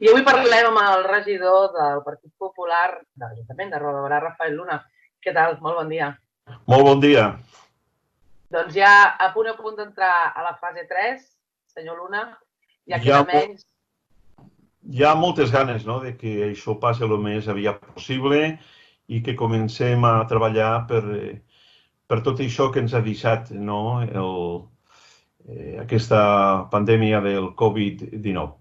I avui parlem amb el regidor del Partit Popular de l'Ajuntament de Roda de Berà, Rafael Luna. Què tal? Molt bon dia. Molt bon dia. Doncs ja a punt d'entrar a la fase 3, senyor Luna, ja queda menys. Hi ha moltes ganes de que això passi el més aviat possible i que comencem a treballar per tot això que ens ha deixat aquesta pandèmia del Covid-19.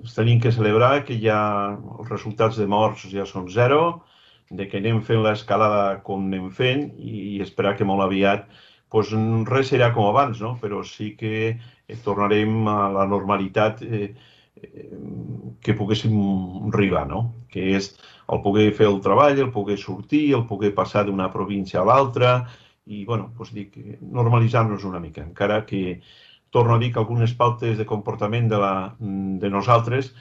Tenim que celebrar que ja els resultats de morts ja són zero, de que anem fent l'escalada com anem fent i esperar que molt aviat res serà com abans, però sí que tornarem a la normalitat que poguéssim arribar, que és el poder fer el treball, el poder sortir, el poder passar d'una província a l'altra i, normalitzar-nos una mica, encara que torno a dir que algunes pautes de comportament de nosaltres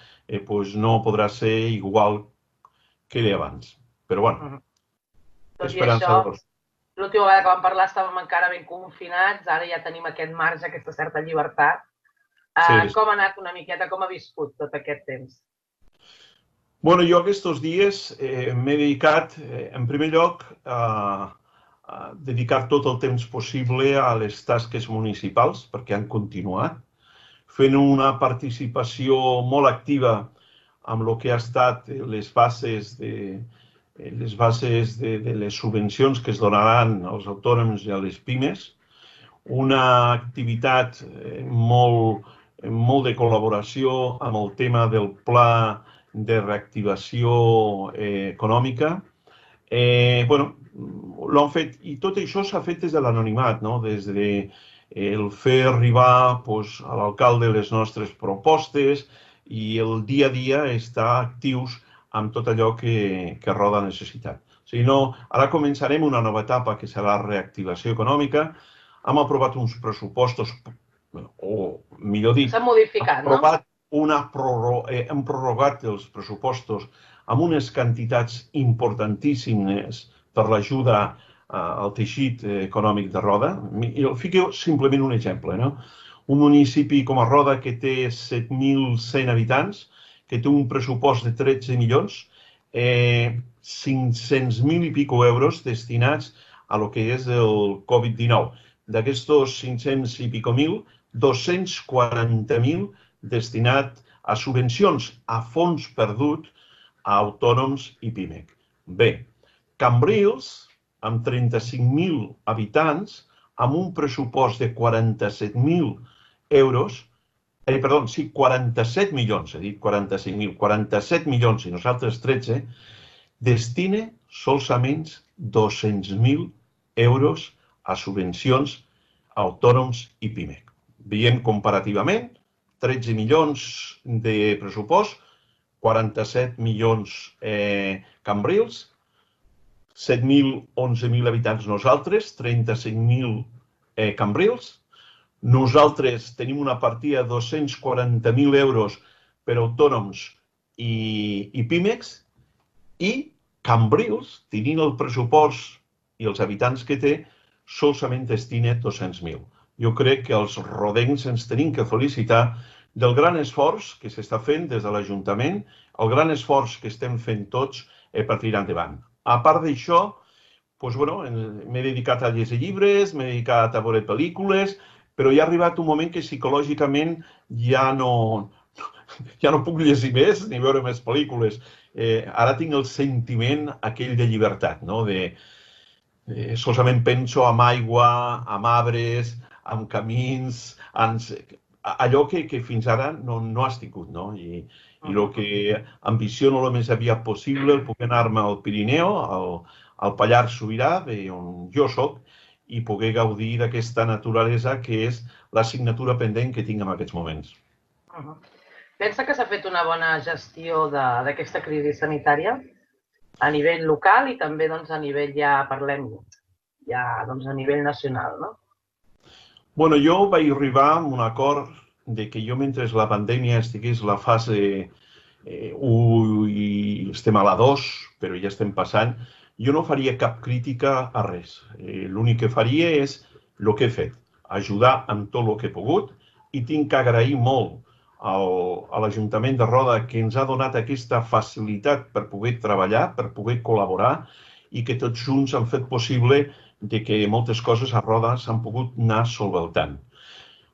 no podrà ser igual que era abans. Però, esperançadors. L'última vegada que vam parlar estàvem encara ben confinats, ara ja tenim aquest marge, aquesta certa llibertat. Com ha anat una miqueta, com ha viscut tot aquest temps? Bueno, jo aquests dies m'he dedicat, en primer lloc, a dedicar tot el temps possible a les tasques municipals, perquè han continuat, fent una participació molt activa amb el que ha estat les bases de les subvencions que es donaran als autònoms i a les pimes, una activitat molt de col·laboració amb el tema del pla de reactivació econòmica. L'han fet, i tot això s'ha fet des de l'anonimat, des del fer arribar a l'alcalde les nostres propostes i el dia a dia estar actius amb tot allò que Roda ha necessitat. Ara començarem una nova etapa que serà la reactivació econòmica. Hem aprovat uns pressupostos, o millor dit, s'ha modificat, hem prorrogat els pressupostos amb unes quantitats importantíssimes per l'ajuda al teixit econòmic de Roda. Fiqueu simplement un exemple. Un municipi com a Roda que té 7.100 habitants, que té un pressupost de 13 milions, 500.000 i pico euros destinats a lo que és el Covid-19. D'aquests 500 i pico mil, 240.000 destinat a subvencions, a fons perdut a autònoms i PIMEC. Bé, Cambrils, amb 35.000 habitants, amb un pressupost de 47.000 euros, 47 milions, he dit 45.000, 47 milions i nosaltres 13, destina solament 200.000 euros a subvencions a autònoms i PIMEC. Veiem comparativament, 13 milions de pressupost, 47 milions Cambrils, 7.000, 11.000 habitants nosaltres, 35.000 Cambrils. Nosaltres tenim una partida de 240.000 euros per autònoms i PIMECs i Cambrils, tenint el pressupost i els habitants que té, solament destina 200.000. Jo crec que els rodencs ens tenim que felicitar del gran esforç que s'està fent des de l'Ajuntament, el gran esforç que estem fent tots per tirar endavant. A part d'això, m'he dedicat a llegir llibres, m'he dedicat a veure pel·lícules, però ja ha arribat un moment que psicològicament ja no puc llegir més ni veure més pel·lícules. Ara tinc el sentiment aquell de llibertat, solament penso en aigua, en arbres, en camins, allò que fins ara no has tingut, i el que ambiciono el més aviat possible, el poder anar-me al Pirineu, al Pallars Sobirà, on jo soc, i poder gaudir d'aquesta naturalesa que és l'assignatura pendent que tinc en aquests moments. Pensa que s'ha fet una bona gestió d'aquesta crisi sanitària a nivell local i també a nivell, ja parlem, a nivell nacional, no? Bueno, jo vaig arribar a un acord de que jo, mentre la pandèmia estigués a la fase 1 i estem a la 2, però ja estem passant, jo no faria cap crítica a res. L'únic que faria és el que he fet, ajudar amb tot el que he pogut, i tinc que agrair molt a l'Ajuntament de Roda, que ens ha donat aquesta facilitat per poder treballar, per poder col·laborar, i que tots junts han fet possible que moltes coses a Roda s'han pogut anar solventant.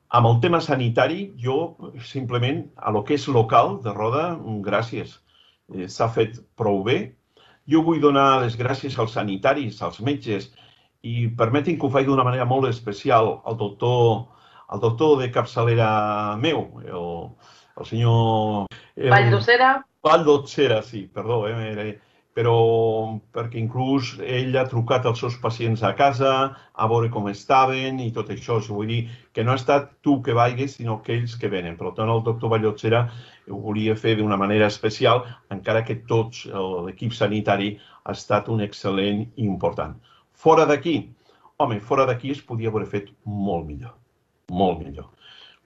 Amb el tema sanitari, jo simplement, a lo que és local de Roda, gràcies. S'ha fet prou bé. Jo vull donar les gràcies als sanitaris, als metges, i permetin que ho faci d'una manera molt especial al doctor de capçalera meu, el senyor... Valldosera? Valldosera, sí, perdó, però perquè inclús ell ha trucat als seus pacients a casa a veure com estaven i tot això. Vull dir que no ha estat tu que vagis, sinó que ells que venen. Per tant, el doctor Valldosera ho volia fer d'una manera especial, encara que tots l'equip sanitari ha estat un excel·lent i important. Fora d'aquí, fora d'aquí es podia haver fet molt millor, molt millor.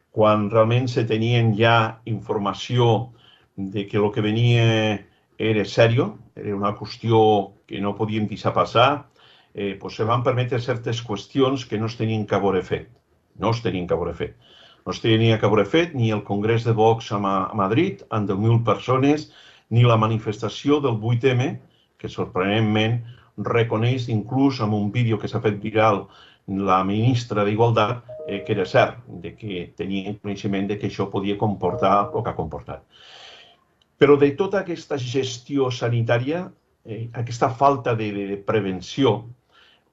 Quan realment se tenien ja informació de que el que venia era seriós, era una qüestió que no podíem deixar passar, se van permetre certes qüestions que no es tenien que haver fet. No es tenien que haver fet. No es tenia que haver fet ni el Congrés de Vox a Madrid, amb 10.000 persones, ni la manifestació del 8M, que sorprenentment reconeix inclús amb un vídeo que s'ha fet viral la ministra d'Igualtat, que era cert, que tenia coneixement que això podia comportar el que ha comportat. Però de tota aquesta gestió sanitària, aquesta falta de prevenció,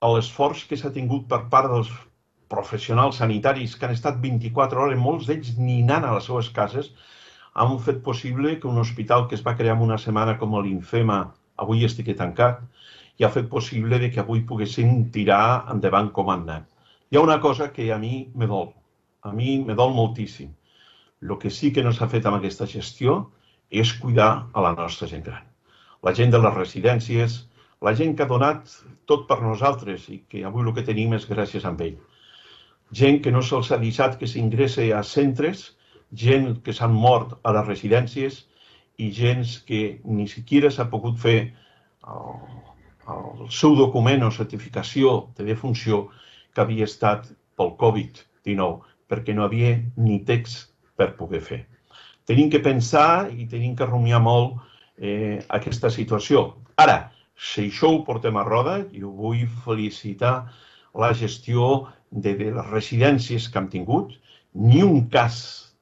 l'esforç que s'ha tingut per part dels professionals sanitaris que han estat 24 hores, molts d'ells ni anant a les seves cases, han fet possible que un hospital que es va crear en una setmana com l'Infema avui estigui tancat i ha fet possible que avui poguessin tirar endavant com han anat. Hi ha una cosa que a mi me dol. A mi me dol moltíssim. El que sí que no s'ha fet amb aquesta gestió és cuidar a la nostra gent gran. La gent de les residències, la gent que ha donat tot per nosaltres i que avui el que tenim és gràcies a ell. Gent que no se'ls ha deixat que s'ingressa a centres, gent que s'han mort a les residències i gent que ni siquiera s'ha pogut fer el seu document o certificació de defunció que havia estat pel Covid-19, perquè no havia ni text per poder fer. Tenim que pensar i tenim que rumiar molt aquesta situació. Ara, si això ho portem a Roda, jo vull felicitar la gestió de les residències que hem tingut. Ni un cas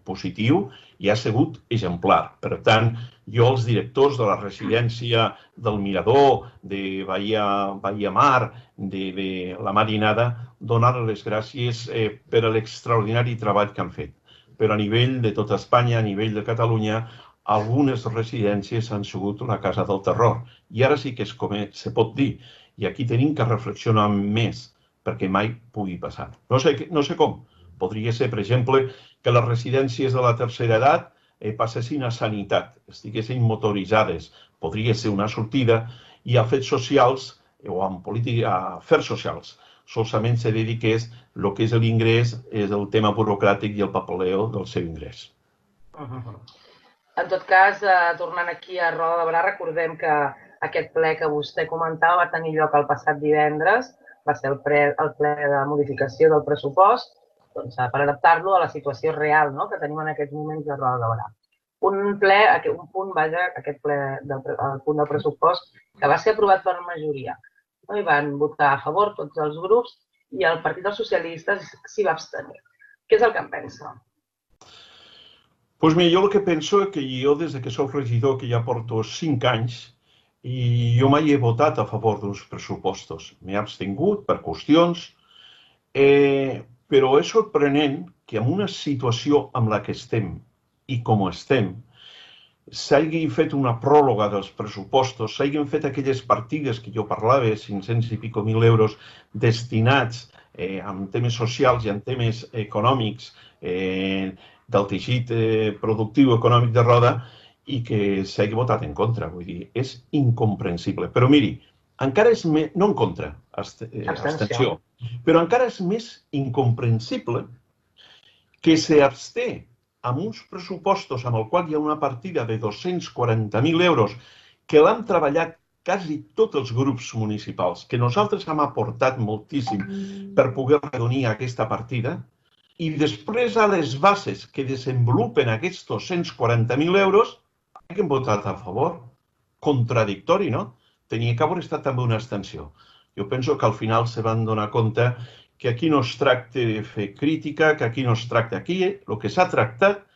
positiu i ha sigut exemplar. Per tant, jo als directors de la residència del Mirador, de Bahia Mar, de la Marinada, donar les gràcies per l'extraordinari treball que han fet. Però a nivell de tota Espanya, a nivell de Catalunya, algunes residències han sigut la casa del terror. I ara sí que és com se pot dir. I aquí tenim que reflexionar més perquè mai pugui passar. No sé com. Podria ser, per exemple, que les residències de la tercera edat passessin a sanitat, estiguessin motoritzades. Podria ser una sortida i a fets socials o en política, a afers socials, solament se dediqués el que és l'ingrés, és el tema burocràtic i el papeleo del seu ingrés. En tot cas, tornant aquí a Roda de Berà, recordem que aquest ple que vostè comentava va tenir lloc el passat divendres, va ser el ple de modificació del pressupost, per adaptar-lo a la situació real que tenim en aquests moments de Roda de Berà. Un punt del pressupost que va ser aprovat per majoria. Hi van votar a favor tots els grups i el Partit dels Socialistes s'hi va abstenir. Què és el que en pensa? Doncs mira, jo el que penso és que jo des que soc regidor, que ja porto 5 anys, i jo mai he votat a favor d'uns pressupostos. M'he abstingut per qüestions, però és sorprenent que en una situació amb la que estem i com estem, s'hagi fet una pròrroga dels pressupostos, s'hagin fet aquelles partides que jo parlava, 500 i pico mil euros, destinats en temes socials i en temes econòmics del teixit productiu econòmic de Roda i que s'hagi votat en contra. Vull dir, és incomprensible. Però miri, encara és més, no en contra, abstenció, però encara és més incomprensible que s'absté amb uns pressupostos amb el qual hi ha una partida de 240.000 euros que l'han treballat quasi tots els grups municipals, que nosaltres hem aportat moltíssim per poder redonir aquesta partida, i després a les bases que desenvolupen aquests 240.000 euros han votat a favor. Contradictori, no? Tenia que haver estat també una abstenció. Jo penso que al final se van donar compte que aquí no es tracta de fer crítica, que aquí no es tracta aquí. El que s'ha tractat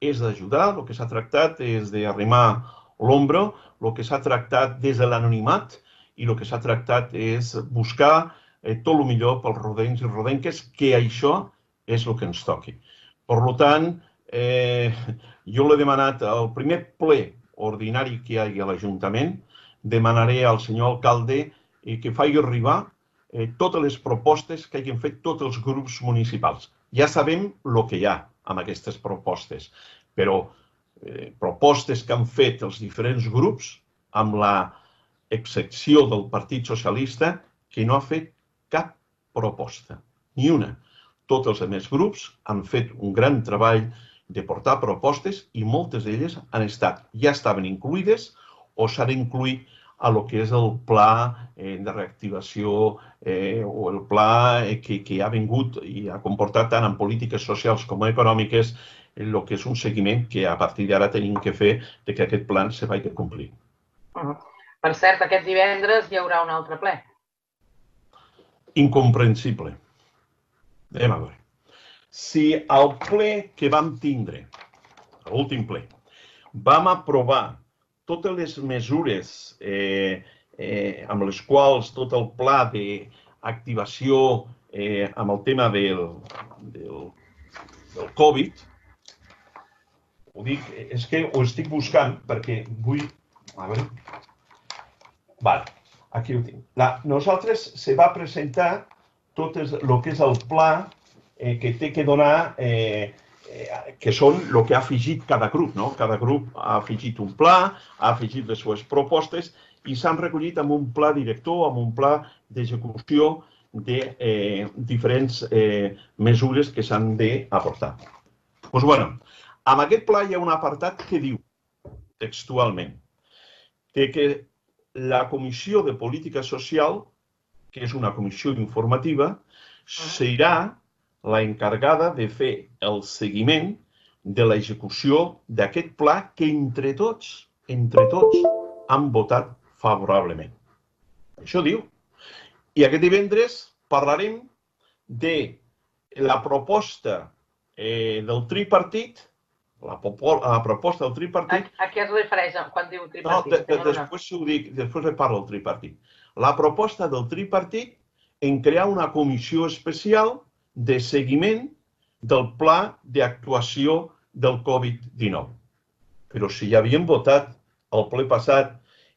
és d'ajudar, el que s'ha tractat és d'arrimar l'ombro, el que s'ha tractat des de l'anonimat i el que s'ha tractat és buscar tot el millor pels rodencs i rodenques, que això és el que ens toqui. Per tant, jo l'he demanat al primer ple ordinari que hi hagi a l'Ajuntament, demanaré al senyor alcalde que faci arribar totes les propostes que hagin fet tots els grups municipals. Ja sabem el que hi ha amb aquestes propostes, però propostes que han fet els diferents grups, amb l'excepció del Partit Socialista, que no ha fet cap proposta, ni una. Tots els altres grups han fet un gran treball de portar propostes i moltes d'elles ja estaven incluïdes o s'han incluït a lo que és el pla de reactivació o el pla que ha vingut i ha comportat tant en polítiques socials com econòmiques el que és un seguiment que a partir d'ara tenim que fer que aquest pla se vagi a complir. Per cert, aquest divendres hi haurà un altre ple. Incomprensible. Anem a veure. Si al ple que vam tindre, l'últim ple, vam aprovar totes les mesures amb les quals tot el pla d'activació amb el tema del Covid, ho dic, és que ho estic buscant perquè vull... A veure... Vale, aquí ho tinc. Nosaltres se va presentar tot el que és el pla que té que donar, que són el que ha afegit cada grup, no? Cada grup ha afegit un pla, ha afegit les seves propostes i s'han recollit amb un pla director, amb un pla d'execució de diferents mesures que s'han d'aportar. Doncs bé, amb aquest pla hi ha un apartat que diu textualment que la Comissió de Política Social, que és una comissió informativa, serà la encarregada de fer el seguiment de l'execució d'aquest pla que entre tots, han votat favorablement. Això diu. I aquest divendres parlarem de la proposta del tripartit, la proposta del tripartit... A què es refereix quan diu tripartit? No, després ho dic, després parlo del tripartit. La proposta del tripartit en crear una comissió especial de seguiment del pla d'actuació del Covid-19. Però si ja havíem votat al ple passat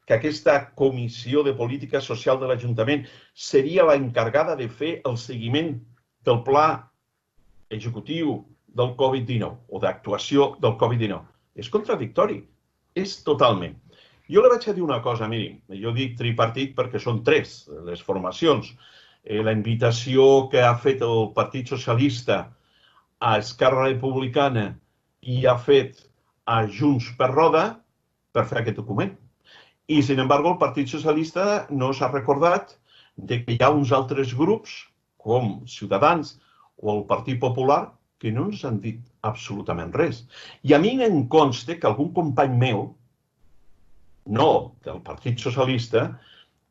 que aquesta comissió de política social de l'Ajuntament seria la encarregada de fer el seguiment del pla executiu del Covid-19 o d'actuació del Covid-19. És contradictori, és totalment. Jo li vaig a dir una cosa, miri, jo dic tripartit perquè són tres les formacions. La invitació que ha fet el Partit Socialista a Esquerra Republicana i ha fet a Junts per Roda per fer aquest document. I, sin embargo, el Partit Socialista no s'ha recordat que hi ha uns altres grups, com Ciutadans o el Partit Popular, que no ens han dit absolutament res. I a mi em consta que algun company meu, no del Partit Socialista,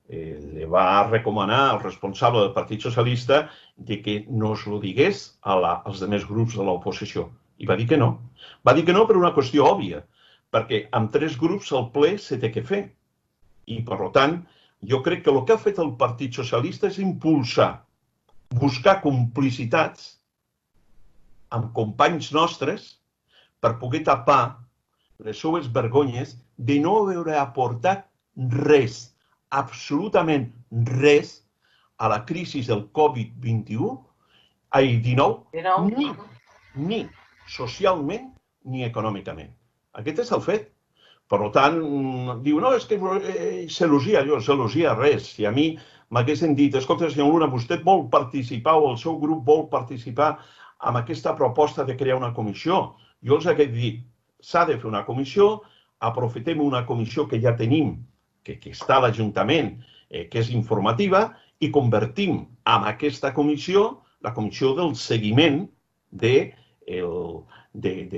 li va recomanar al responsable del Partit Socialista que no es ho digués als altres grups de l'oposició. I va dir que no. Va dir que no per una qüestió òbvia, perquè amb tres grups el ple se té que fer. I, per tant, jo crec que el que ha fet el Partit Socialista és impulsar, buscar complicitats amb companys nostres per poder tapar les seves vergonyes de no haver aportat res, absolutament res, a la crisi del Covid-19, ni socialment ni econòmicament. Aquest és el fet. Per tant, diu, no, és que s'elogia, s'elogia res. Si a mi m'haguessin dit, escolta, senyor Luna, vostè vol participar o el seu grup vol participar en aquesta proposta de crear una comissió, jo els hagués dit, s'ha de fer una comissió, aprofitem una comissió que ja tenim, que està a l'Ajuntament, que és informativa, i convertim en aquesta comissió la comissió del seguiment de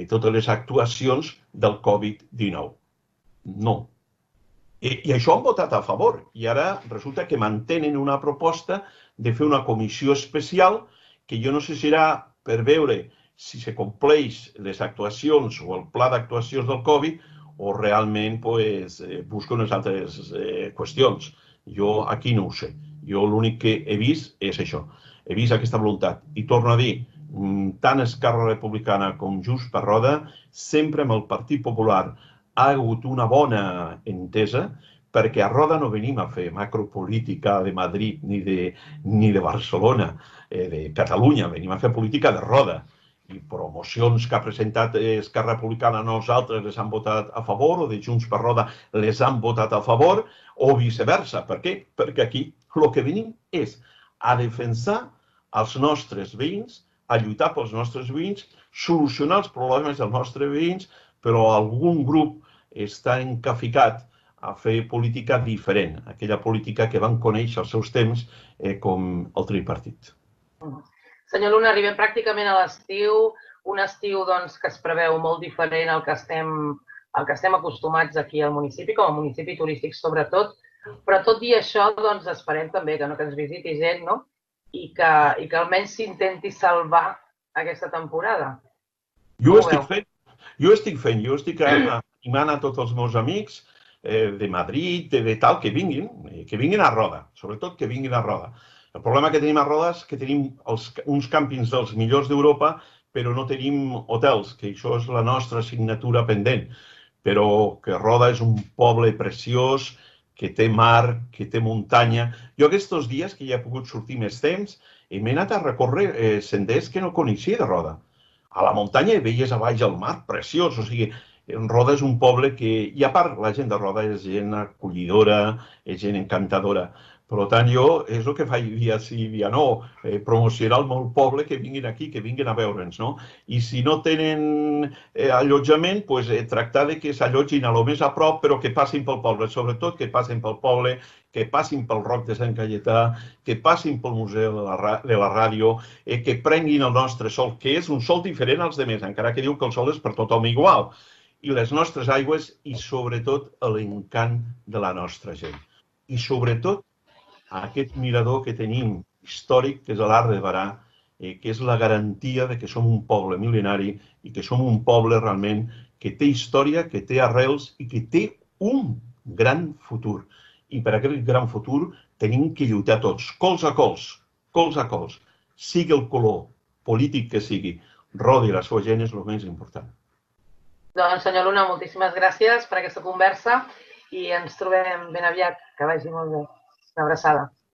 totes les actuacions del Covid-19. No. I això han votat a favor. I ara resulta que mantenen una proposta de fer una comissió especial que jo no sé si serà per veure si se compleix les actuacions o el pla d'actuacions del Covid o realment busca unes altres qüestions. Jo aquí no ho sé. Jo l'únic que he vist és això. He vist aquesta voluntat. I torno a dir, tant Esquerra Republicana com Junts per Roda, sempre amb el Partit Popular ha hagut una bona entesa, perquè a Roda no venim a fer macropolítica de Madrid ni de Barcelona, de Catalunya, venim a fer política de Roda. I promocions que ha presentat Esquerra Republicana a nosaltres les han votat a favor, o de Junts per Roda les han votat a favor, o viceversa. Per què? Perquè aquí el que venim és a defensar els nostres veïns, a lluitar pels nostres veïns, solucionar els problemes dels nostres veïns, però algun grup està encaficat a fer política diferent, aquella política que van conèixer als seus temps com el tripartit. Senyor Luna, arribem pràcticament a l'estiu, un estiu que es preveu molt diferent al que estem acostumats aquí al municipi, com a municipi turístic sobretot, però tot i això esperem també que ens visiti gent, no? I que almenys s'intenti salvar aquesta temporada. Jo ho estic fent, jo estic animant a tots els meus amics de Madrid, de tal, que vinguin a Roda, sobretot que vinguin a Roda. El problema que tenim a Roda és que tenim uns càmpings dels millors d'Europa, però no tenim hotels, que això és la nostra assignatura pendent. Però que Roda és un poble preciós, que té mar, que té muntanya. Jo aquests dies, que ja he pogut sortir més temps, m'he anat a recórrer senders que no coneixia de Roda. A la muntanya hi veies a baix el mar, preciós. O sigui, Roda és un poble que, i a part, la gent de Roda és gent acollidora, és gent encantadora. Per tant, jo és el que faig dia sí, dia no, promocionar el meu poble, que vinguin aquí, que vinguin a veure'ns, no? I si no tenen allotjament, tractar de que s'allotgin a lo més a prop, però que passin pel poble, sobretot que passin pel poble, que passin pel Roc de Sant Cayetà, que passin pel Museu de la Ràdio, que prenguin el nostre sol, que és un sol diferent als altres, encara que diu que el sol és per tothom igual, i les nostres aigües, i sobretot l'encant de la nostra gent. I sobretot aquest mirador que tenim històric, que és l'Arc de Berà, que és la garantia de que som un poble mil·lenari i que som un poble realment que té història, que té arrels i que té un gran futur. I per aquest gran futur tenim que lluitar tots, cols a cols, sigui el color polític que sigui. Roda i la seva gent és el més important. Doncs, senyor Luna, moltíssimes gràcies per aquesta conversa i ens trobem ben aviat. Que vagi molt bé. Una abraçada.